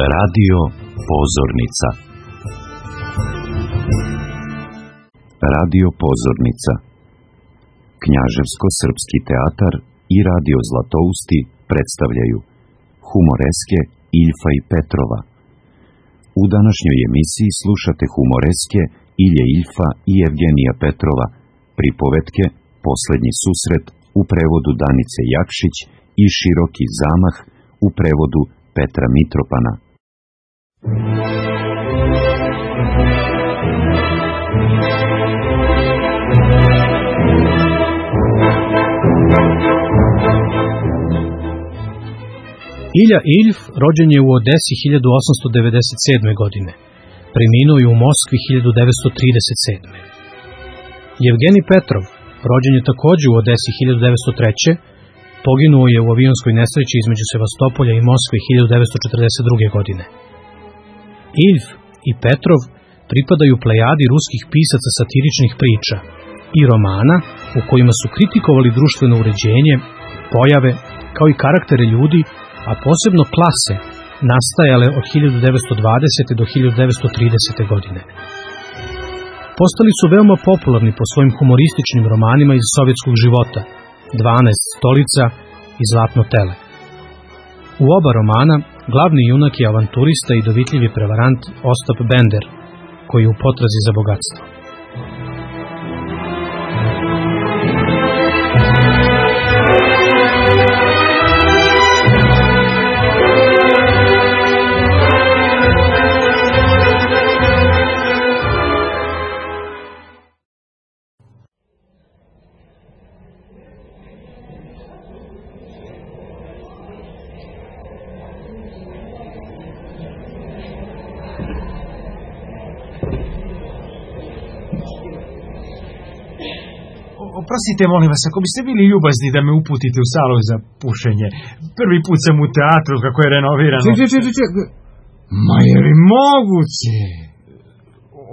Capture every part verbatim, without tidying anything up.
Radio Pozornica. Radio Pozornica. Knjaževsko-srpski teatar i radio Zlatousti predstavljaju humoreske Iljfa i Petrova. U današnjoj emisiji slušate humoreske Ilje Iljfa i Evgenija Petrova, pripovetke Poslednji susret u prevodu Danice Jakšić i Široki zamah u prevodu Petra Mitropana. Ilja Iljf rođen je u Odesi hiljadu osamsto devedeset sedme. godine. Preminuo je u Moskvi hiljadu devetsto trideset sedme. Evgenij Petrov rođen je takođe u Odesi hiljadu devetsto treće. Poginuo je u avionskoj nesreći između Sevastopolja i Moskve hiljadu devetsto četrdeset druge. godine. Iljf i Petrov pripadaju plejadi ruskih pisaca satiričnih priča i romana u kojima su kritikovali društveno uređenje, pojave, kao i karaktere ljudi, a posebno klase, nastajale od hiljadu devetsto dvadesete. do hiljadu devetsto tridesete. godine. Postali su veoma popularni po svojim humorističnim romanima iz sovjetskog života, dvanaest stolica i Zlatno tele. U oba romana glavni junak je avanturista i dovitljivi prevarant Ostap Bender, koji je u potrazi za bogatstvo. Oprostite, molim vas, ako biste bili ljubazni da me uputite u salu za pušenje. Prvi put sam u teatru kako je renovirano. Ček, ček, ček, ček. Ma je li moguće?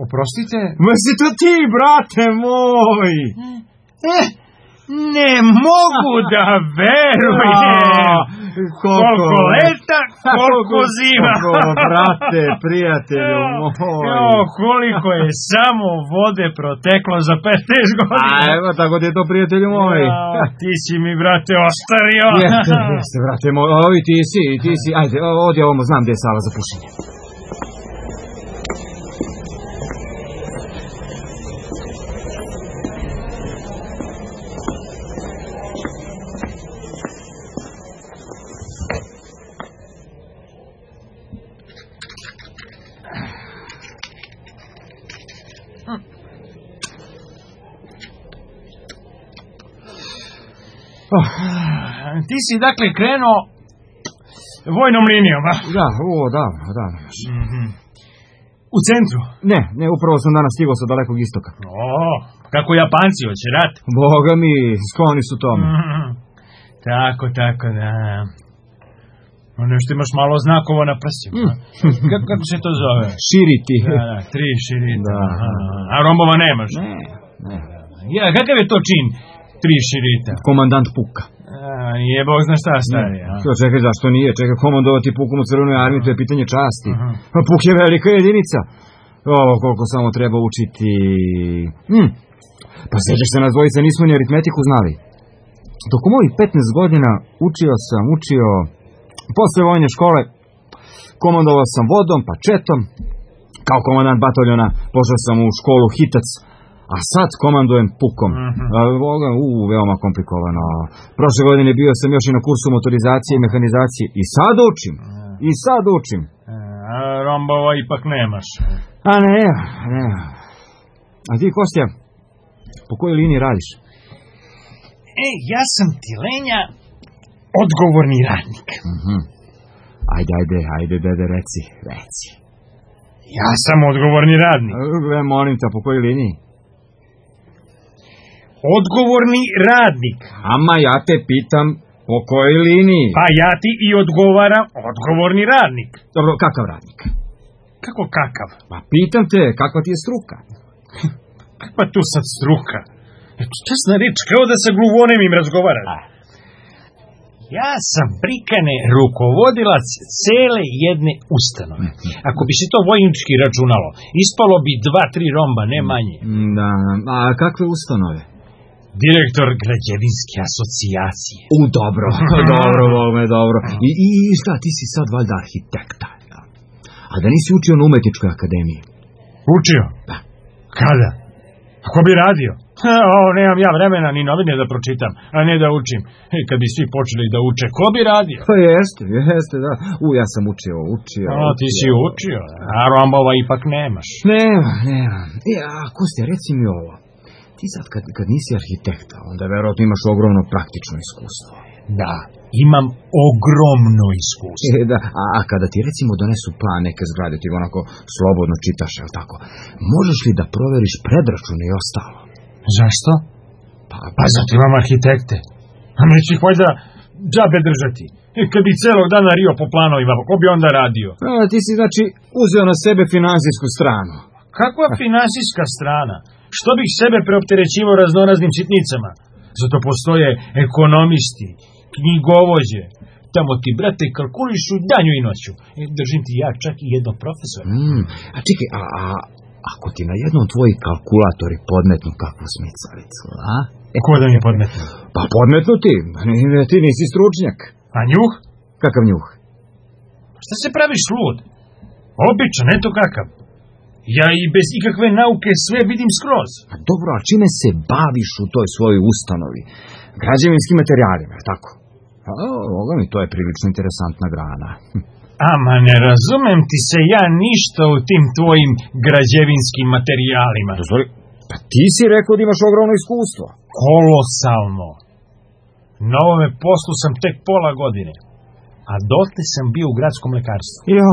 Oprostite? Ma si to ti, brate moj! Eh, ne mogu da verujem! Koliko leta, koliko zima! Koliko, brate, prijatelju moj! Jo, koliko je samo vode proteklo za petnaest godina! A evo, tako ti je to, prijatelju moj! Ja, ti si mi, brate, ostario! Jeste, jeste, brate moj, ovi ti si, ti si, ajde, ovdje ovamo, znam gdje je sala za pušenje. Oh, ti si dakle krenuo vojnom linijom, a? Da, o, da, da. Mm-hmm. U centru? Ne, ne, upravo sam danas stigao sa dalekog istoka. O, kako Japanci, hoće rat? Boga mi, skloni su tome. Mm-hmm. Tako, tako, da. Nešto imaš malo znakova na prsima. Mm. Kako, kako se to zove? Širiti. Da, da, tri širita. Da. A rombova nemaš? Ne, ne. Ja, kakav je to čin? Tri širita. Komandant puka. A, nije Bog zna šta stari. Ne. Čekaj, zašto nije? Čekaj, komandovati pukom u crvenoj armiji, to je pitanje časti. Uh-huh. Puk je velika jedinica. O, koliko samo treba učiti. Hm. Pa sećaš se, nas dvojica nismo ni aritmetiku znali. Tokom ovih petnaest godina učio sam, učio... Posle vojne škole komandovao sam vodom, pa četom. Kao komandant bataljona pošao sam u školu Hitac. A sad komandujem pukom. Mm-hmm. U, veoma komplikovano. Prošle godine bio sam još i na kursu motorizacije i mehanizacije. I sad učim. I sad učim. A rombova ipak nemaš. A ne, ne. A ti, Kostja, po kojoj liniji radiš? Ej, ja sam ti, Lenja, odgovorni radnik. Mm-hmm. Ajde, ajde, ajde, dede, reci, reci. Ja sam odgovorni radnik. E, molim te, po kojoj liniji? Odgovorni radnik. Ama ja te pitam po kojoj liniji? Pa ja ti i odgovaram odgovorni radnik. Dobro, kakav radnik? Kako kakav? Pa pitam te, kakva ti je struka? Kakva tu sad struka? Eto, česna reč, kao da sa gluvonem im razgovara. Ja sam prikane rukovodilac cele jedne ustanove. Ako bi se to vojnički računalo, ispalo bi dva, tri romba, ne manje. Da, a kakve ustanove? Direktor građevinske asocijacije. U, dobro, dobro, Bome, dobro. I, i šta, ti si sad valjda arhitekta. A da nisi učio na umetničkoj akademiji? Učio? Da. Kada? Ako bi radio? O, nemam ja vremena ni novine da pročitam, a ne da učim. E, kad bi svi počeli da uče, ko bi radio? Pa jeste, jeste, da. U, ja sam učio, učio. O, ti si učio, a rombova ipak nemaš. Nema, nema. E, a Kostja, reci mi ovo. Ti sad kad, kad nisi arhitekta, onda verovatno imaš ogromno praktično iskustvo. Da, imam ogromno iskustvo. E, da, a, a kada ti recimo donesu plan neke zgrade, ti onako slobodno čitaš, jel tako? Možeš li da proveriš predračune i ostalo? Zašto? Pa, pa zato imam arhitekte. A neću ih valjda džabe držati. E, kad bi celog dana rio po planovima, ko bi onda radio? A, ti si znači uzeo na sebe finansijsku stranu. Kakva finansijska strana? Što bih sebe preopterećivao raznoraznim sitnicama? Zato postoje ekonomisti, knjigovođe. Tamo ti, brate, kalkulišu danju i noću. E, držim ti ja čak i jednog profesora. Mm, a čekaj, a, a ako ti na jednom tvoji kalkulatori podmetnu kakvu smicalicu, a? E, ko da mi podmetnu? Pa podmetnu ti, ti nisi stručnjak. A njuh? Kakav njuh? Šta se praviš lud? Običan, eto kakav. Ja i bez ikakve nauke sve vidim skroz. A dobro, a čime se baviš u toj svojoj ustanovi? Građevinskim materijalima, tako? A, ovoga mi, to je prilično interesantna grana. Ama ne razumem ti se ja ništa u tim tvojim građevinskim materijalima. Dozvoli, pa ti si rekao da imaš ogromno iskustvo. Kolosalno. Na ovome poslu sam tek pola godine. A dotle sam bio u gradskom lekarstvu. Jo,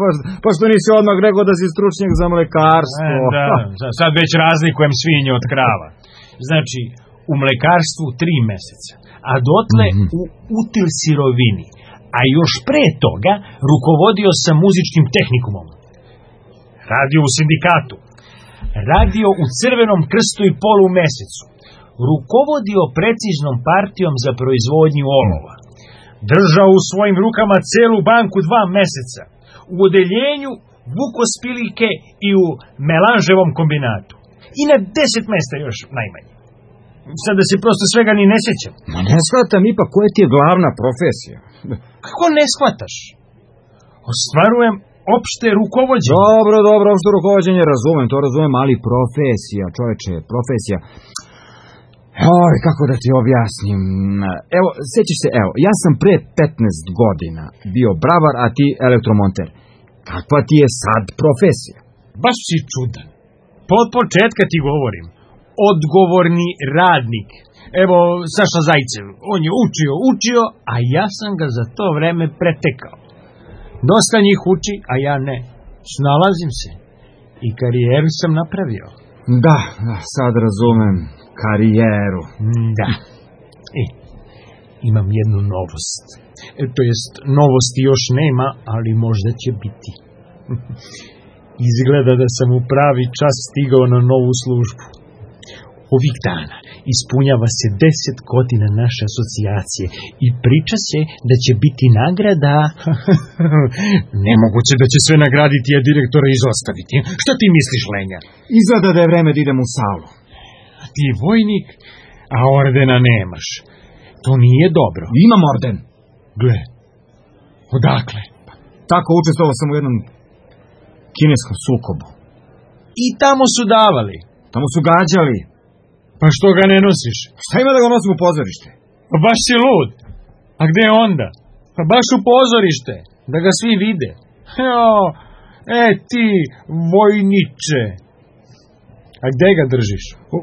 pa, pa što nisi odmah rekao da si stručnjak za mlekarstvo? E, da, sad već razlikujem svinje od krava. Znači, u mlekarstvu tri meseca, a dotle mm-hmm. u util sirovini. A još pre toga rukovodio sam muzičkim tehnikumom. Radio u sindikatu. Radio u Crvenom krstu i polumesecu. Rukovodio preciznom partijom za proizvodnju olova. Držao u svojim rukama celu banku dva meseca. U odeljenju vukospilike i u melanževom kombinatu. I na deset mesta još najmanje. Sad da se prosto svega ni ne sjećam. Ma ne shvatam ipak koja ti je glavna profesija. Kako ne shvataš? Ostvarujem opšte rukovođenje. Dobro, dobro, opšte rukovođenje razumem, to razumem, ali profesija, čoveče, profesija. Oj, kako da ti objasnim. Evo, sjećaš se, evo, ja sam pre petnaest godina bio bravar, a ti elektromonter. Kakva ti je sad profesija? Baš si čudan. Pod početka ti govorim. Odgovorni radnik. Evo, Saša Zajcev, on je učio, učio, a ja sam ga za to vreme pretekao. Dosta njih uči, a ja ne. Snalazim se. I karijeru sam napravio. Da, da, sad razumem. Karijeru. Da. E, imam jednu novost. E, to jest, novosti još nema, ali možda će biti. Izgleda da sam u pravi čas stigao na novu službu. Ovih dana ispunjava se deset godina naše asocijacije i priča se da će biti nagrada. Nemoguće da će sve nagraditi, a direktora izostaviti. Šta ti misliš, Lenja? Izgleda da je vreme da idem u salu. Ti je vojnik, a ordena nemaš. To nije dobro. Imam orden. Gle, odakle? Tako učestvovao sam u jednom kineskom sukobu. I tamo su davali. Tamo su gađali. Pa što ga ne nosiš? Šta ima da ga nosim u pozorište? Pa baš si lud. A gde onda? Pa baš u pozorište. Da ga svi vide. Jo, e ti, vojniče. A gde ga držiš? U,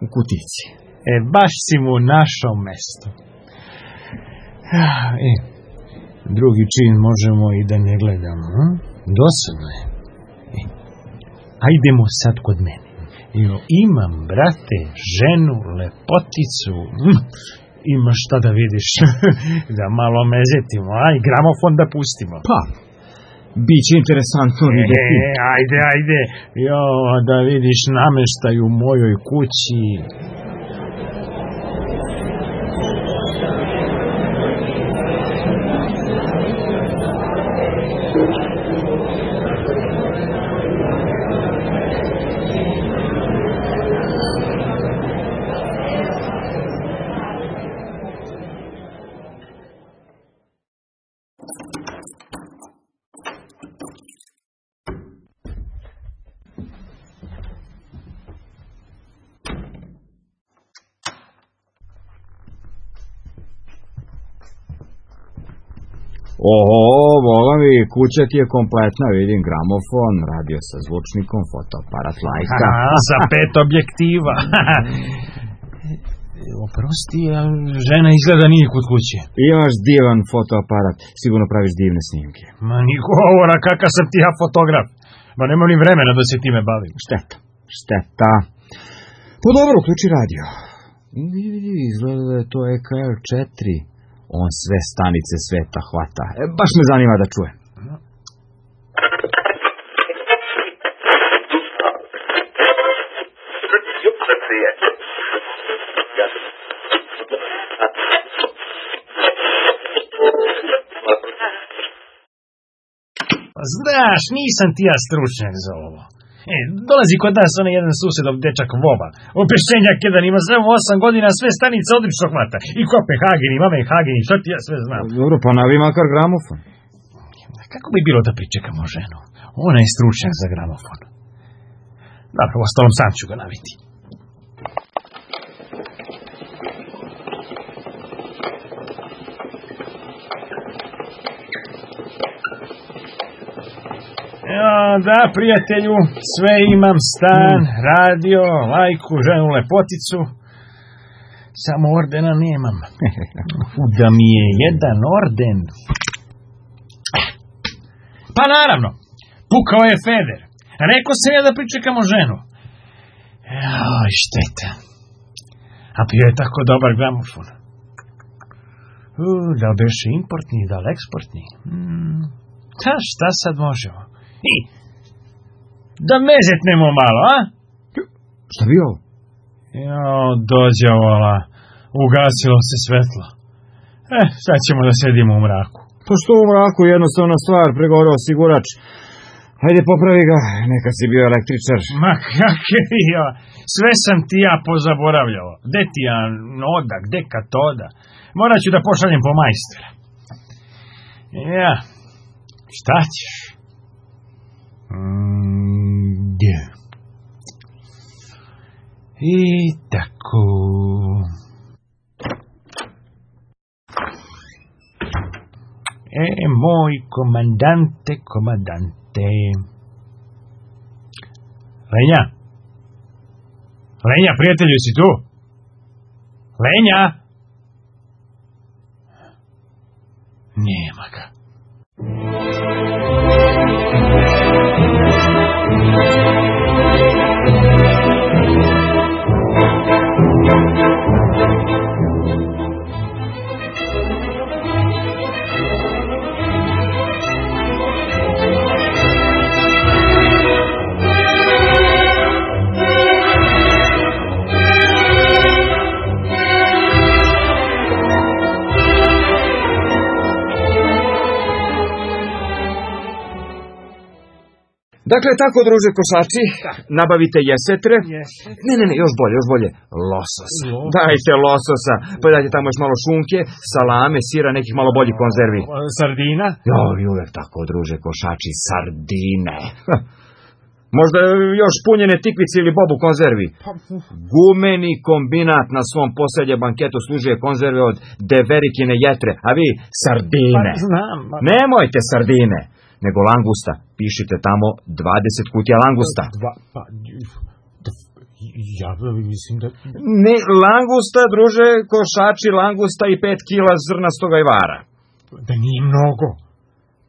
u kutici. E, baš si mu našao mesto. E, drugi čin možemo i da ne gledamo. Hm? Dosadno je. E, ajdemo sad kod mene. Jo, imam, brate, ženu, lepoticu. Hm, ima šta da vidiš. Da malo mezetimo, aj, gramofon da pustimo. Pa, biće interesantno vidjeti. E, ajde, ajde. Jo, da vidiš nameštaj u mojoj kući. Oho, vola mi, kuća ti je kompletna, vidim gramofon, radio sa zvučnikom, fotoaparat Leica. Aha, sa pet objektiva. Oprosti, a žena izgleda nije kod kuće. Imaš divan fotoaparat, sigurno praviš divne snimke. Ma ni govora, kakav sam ti ja fotograf. Ma nemam ni vremena da se time bavim. Šteta, šteta. Pa dobro, uključi radio. Vidi, vidi, izgleda da je to E K R četiri. On sve stanice sveta hvata. E, baš me zanima da čuje. Znaš, nisam ti ja stručnjak za ovo. E, dolazi kod nas onaj jedan susedov dečak Voba. Opešćenjak jedan ima sve osam godina, sve stanice odlično hvata. I Kopenhagen, i Mamenhagen, i što ti ja sve znam. Dobro, pa navi makar gramofon. Kako bi bilo da pričekamo ženu? Ona je stručnjak za gramofon. Dobro, u ostalom sam ću ga naviti. Ja, da, prijatelju, sve imam, stan, radio, lajku, ženu, lepoticu. Samo ordena nemam. Da mi je jedan orden. Pa naravno, pukao je Feder. Rekao sam ja da pričekamo ženu. Joj, šteta. A bio je tako dobar gramofon. U, da li beše importni, da li eksportni? Hmm. Ta, šta sad možemo? I, da mezetnemo malo, a? Šta bi ovo? Jo, dođe vola. Ugasilo se svetlo. Eh, sad ćemo da sedimo u mraku. Pa što u mraku, jednostavna stvar, pregoreo osigurač. Hajde popravi ga, neka si bio električar. Ma kak je bio, sve sam ti ja pozaboravljao. Gde ti ja noda, gde katoda? Morat ću da pošaljem po majstora. Ja, šta ćeš? Mm, gdje? I tako... E, moj komandante, komandante. Lenja? Lenja, prijatelju, si tu? Lenja? Nema ga. Dakle, tako, druže košači, nabavite jesetre. Jesetre? Ne, ne, ne, još bolje, još bolje. Lososa. Losos. Dajte lososa. Pa dajte tamo još malo šunke, salame, sira, nekih malo boljih konzervi. Sardina? Jo, i uvek tako, druže košači, sardine. Možda još punjene tikvice ili bobu konzervi. Gumeni kombinat na svom posljednjem banketu služuje konzerve od deverikine jetre, a vi sardine. Pa znam. Pa... Nemojte sardine, nego langusta. Pišite tamo dvadeset kutija langusta. Dva, pa, ja mislim da... Ne, langusta, druže, košači, langusta i pet kila zrnastoga ajvara. Da nije mnogo.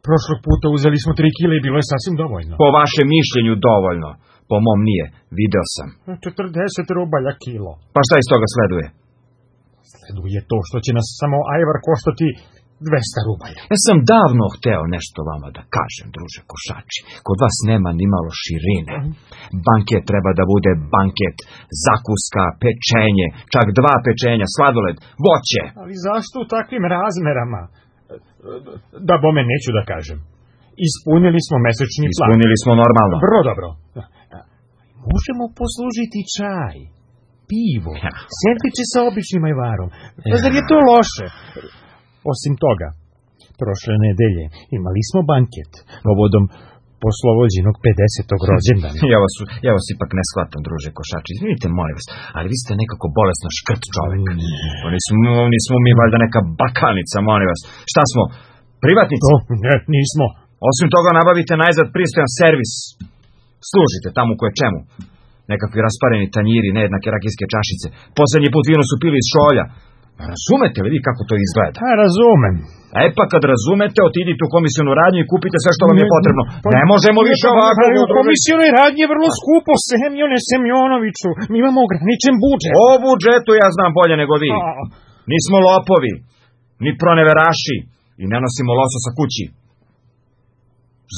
Prošlog puta uzeli smo tri kile i bilo je sasvim dovoljno. Po vašem mišljenju dovoljno. Po mom nije, video sam. četrdeset rubalja kilo. Pa šta iz toga sleduje? Sleduje to što će nas samo ajvar koštati dvesta rubalja. Ja sam davno hteo nešto vama da kažem, druže košači. Kod vas nema ni malo širine. Banket treba da bude banket, zakuska, pečenje, čak dva pečenja, sladoled, voće. Ali zašto u takvim razmerama? Da bome neću da kažem. Ispunili smo mesečni plan. Ispunili smo normalno. Vrlo dobro. Možemo poslužiti čaj, pivo, ja. Sendviče sa običnim ajvarom. Ja. Zar je to loše? Osim toga, prošle nedelje imali smo banket povodom poslovođinog pedesetog rođendana. ja, vas, ja vas ipak ne shvatam, druže košači. Izvinite, molim vas, ali vi ste nekako bolesno škrt čovek. Mm. Nismo, nismo mi valjda neka bakanica, molim vas. Šta smo? Privatnici? To, ne, nismo. Osim toga nabavite najzad pristojan servis. Služite tamo koje čemu. Nekakvi raspareni tanjiri, nejednake rakijske čašice. Poslednji put vino su pili iz šolja. Razumete li vi kako to izgleda? Pa razumem. E pa kad razumete, otidite u komisionu radnju i kupite sve što vam je potrebno. Ne možemo više ovako. U komisionoj radnji je vrlo skupo, Semjone Semjonoviću. Mi imamo ograničen budžet. O budžetu ja znam bolje nego vi. Nismo lopovi, ni proneveraši i ne nosimo lososa kući.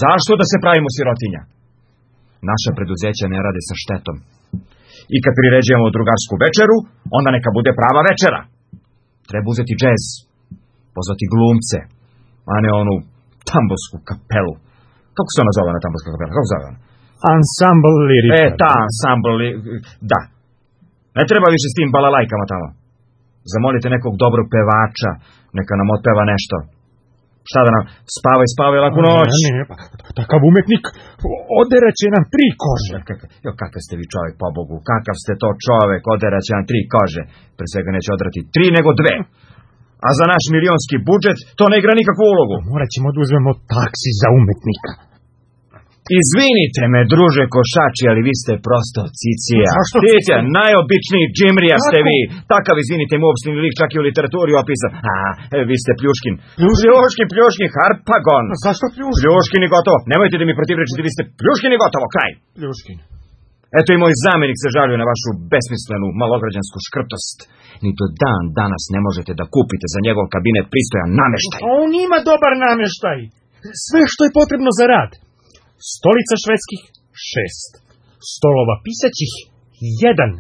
Zašto da se pravimo sirotinja? Naša preduzeća ne rade sa štetom. I kad priređujemo drugarsku večeru, onda neka bude prava večera. Treba uzeti džez, pozvati glumce, a ne onu tambosku kapelu. Kako se ona zove na tamboska kapela? Kako se zove ona? Ansambl lirika. E, ta ansambl lirika, da. Ne treba više s tim balalajkama tamo. Zamolite nekog dobrog pevača, neka nam otpeva nešto. Šta da nam, spavaj, spavaj laku noć. Ne, ne, pa takav umetnik oderaće nam tri kože. Jo, kakav ste vi čovjek, po Bogu, kakav ste to čovjek, oderaće nam tri kože. Pre svega neće odrati tri, nego dve. A za naš milionski budžet to ne igra nikakvu ulogu. Morat ćemo da uzmemo taksi za umetnika. Izvinite me, druže Košači, ali vi ste prosto cicija. Zašto? Cicija, najobičniji džimrija ste vi. Takav, izvinite, mopsni lik čak i u literaturi opisan. A, vi ste Pljuškin. Pljuškin, Pljuškin, Harpagon. A zašto Pljuškin? Pljuškin i gotovo. Nemojte da mi protivrečite, vi ste Pljuškin i gotovo, kraj. Pljuškin. Eto i moj zamjenik se žalio na vašu besmislenu, malograđansku škrtost. Ni do dan danas ne možete da kupite za njegov kabinet pristojan nameštaj. On ima dobar nameštaj. Sve što je potrebno za rad. Stolica švedskih, šest. Stolova pisaćih, jedan.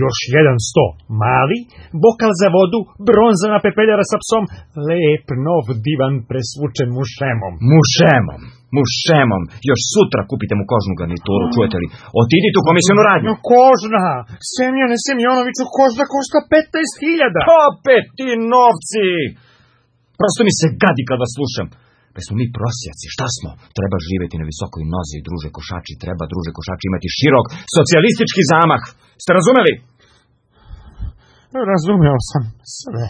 Još jedan sto. Mali, bokal za vodu, bronzana pepeljara sa psom, lep, nov divan presvučen mušemom. Mušemom, mušemom. Još sutra kupite mu kožnu garnituru, čujete li? Otidite u komisionu radnju. No, kožna. Semjone Semjonoviću, kožna košta petnaest hiljada. Opet ti novci. Prosto mi se gadi kad vas slušam. Pa smo mi prosjaci, šta smo? Treba živjeti na visokoj nozi, druže Košači, treba, druže Košači, imati širok socijalistički zamah. Ste razumeli? Razumeo sam sve.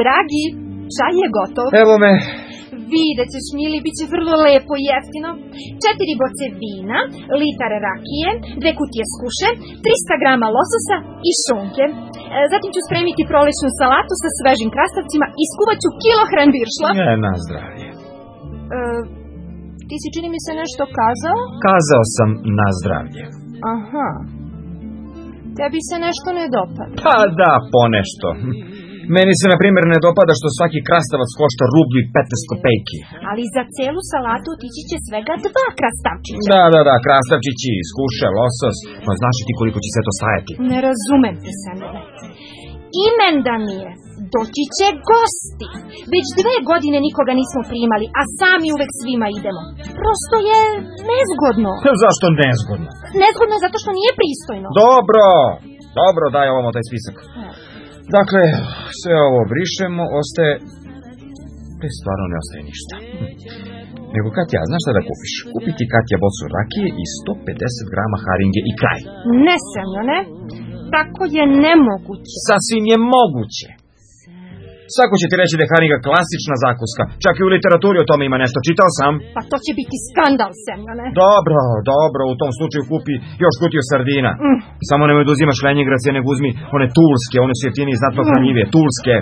Dragi, čaj je gotov. Evo me. Vidjet ćeš, mili, bit će vrlo lepo i jeftino. Četiri boce vina, litar rakije, dve kutije skuše, trista grama lososa i šunke. E, zatim ću spremiti prolećnu salatu sa svežim krastavcima i skuvat ću kilohran biršla. Ne, na zdravlje. E, ti si, čini mi se, nešto kazao? Kazao sam na zdravlje. Aha. Tebi se nešto ne dopada? Pa da, ponešto. Meni se, na primjer, ne dopada što svaki krastavac košta rublju i petnaest kopejki. Ali za celu salatu otići će svega dva krastavčića. Da, da, da, krastavčići, skuše, losos. Pa znaš ti koliko će sve to stajati? Ne razumem te, Semjone. Imendan mi je. Doći će gosti. Već dve godine nikoga nismo primali, a sami uvek svima idemo. Prosto je nezgodno. Zašto nezgodno? Nezgodno je zato što nije pristojno. Dobro, dobro, daj ovamo taj spisak. Dakle, sve ovo brišemo, ostaje... Te stvarno ne ostaje ništa. Nego, Katja, znaš šta da kupiš? Kupi ti, Katja, bocu rakije i sto pedeset grama haringe i kraj. Ne, Semjone, tako je nemoguće. Sasvim je moguće. Svako će ti reći da je haringa klasična zakuska. Čak i u literaturi o tome ima nešto. Čitao sam. Pa to će biti skandal, Semjone. Dobro, dobro, u tom slučaju kupi još kutiju sardina. Mm. Samo nemoj da uzimaš lenjingracije, nego uzmi one tulske, one su jeftinije i znatno hranjivije. Tulske.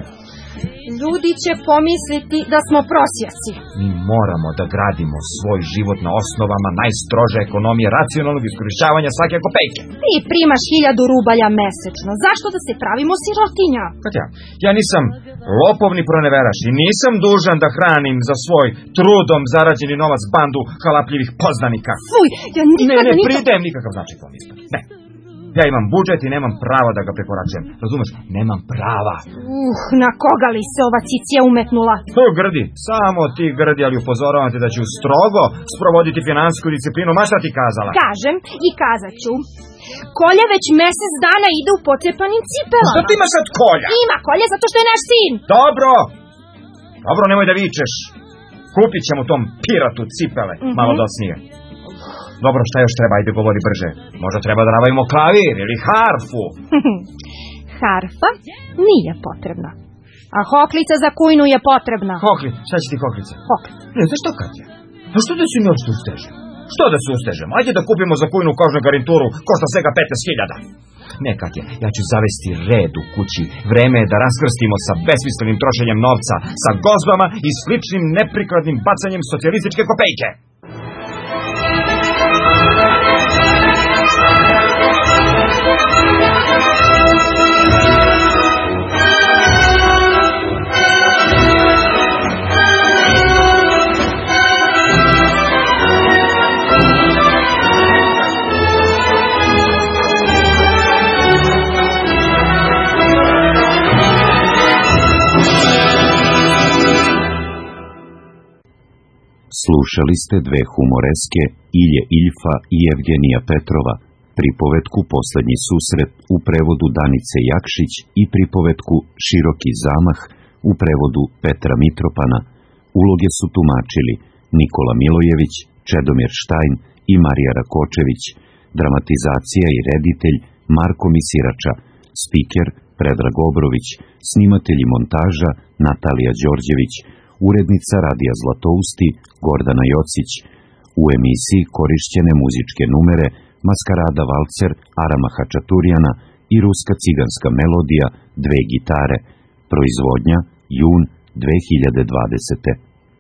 Ljudi će pomisliti da smo prosjaci. Mi moramo da gradimo svoj život na osnovama najstrože ekonomije racionalnog iskorišćavanja svake kopejke. Ti primaš hiljadu rubalja mesečno. Zašto da se pravimo sirotinja? Katja, ja nisam lopovni proneveraš i nisam dužan da hranim za svoj trudom zarađeni novac bandu halapljivih poznanika. Fuj, ja nikada... Ne, ne, nikada... pridajem nikakav značaj tom isto. Ne. Ja imam budžet i nemam prava da ga prekoračujem. Razumeš? Nemam prava. Uh, na koga li se ova cicija umetnula? To grdi. Samo ti grdi, ali upozoravam te da ću strogo sprovoditi finansijsku disciplinu. Ma šta ti kazala? Kažem i kazat ću. Kolja već mesec dana ide u pocepanim cipelama. Šta ti ima sad Kolja? Ima Kolja zato što je naš sin. Dobro. Dobro, nemoj da vičeš. Kupit ćemo tom piratu cipele. Mm-hmm. Malo docnije. Dobro, šta još treba? Ajde, govori brže. Možda treba da nabavimo klavir ili harfu. Harfa nije potrebna. A hoklica za kujnu je potrebna. Hokli, šta će ti hoklica? Hoklica. Ne, znaš što, Katja? A što da si mi ošto ustežem? Što da se ustežem? Ajde da kupimo za kujnu kožnu garnituru, košta svega petnaest hiljada. Ne, Katja, ja ću zavesti red u kući. Vreme je da raskrstimo sa besmislenim trošenjem novca, sa gozbama i sličnim neprikladnim bacanjem socijalističke kopejke. Slušali ste dve humoreske, Ilje Iljfa i Evgenija Petrova, pripovetku Poslednji susret u prevodu Danice Jakšić i pripovetku Široki zamah u prevodu Petra Mitropana. Uloge su tumačili Nikola Milojević, Čedomir Štajn i Marija Rakočević, dramatizacija i reditelj Marko Misirača, spiker Predrag Obrović, snimatelj i montaža Natalija Đorđević, urednica Radija Zlatousti Gordana Jocić. U emisiji korišćene muzičke numere Maskarada Valcer Arama Hačaturijana i Ruska ciganska melodija Dve gitare. Proizvodnja jun dve hiljade dvadesete.